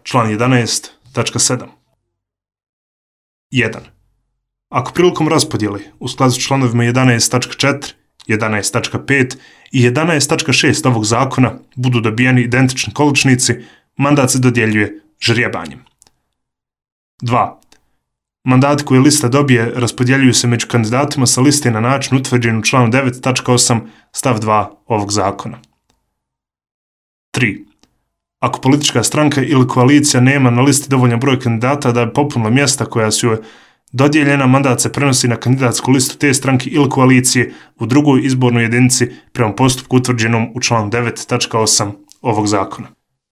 član 11.7. 1. Ako prilikom raspodjele u skladu s članovima 11.4, 11.5 i 11.6 ovog zakona budu dobijeni identični količnici, mandat se dodjeljuje ždrijebanjem. 2. Mandati koje lista dobije raspodjeljuju se među kandidatima sa liste na način utvrđen u članu 9.8 stav 2 ovog zakona. 3. Ako politička stranka ili koalicija nema na listi dovoljan broj kandidata da bi popunila mjesta koja su joj dodijeljena, mandat se prenosi na kandidatsku listu te stranke ili koalicije u drugoj izbornoj jedinici prema postupku utvrđenom u članu 9.8 ovog zakona.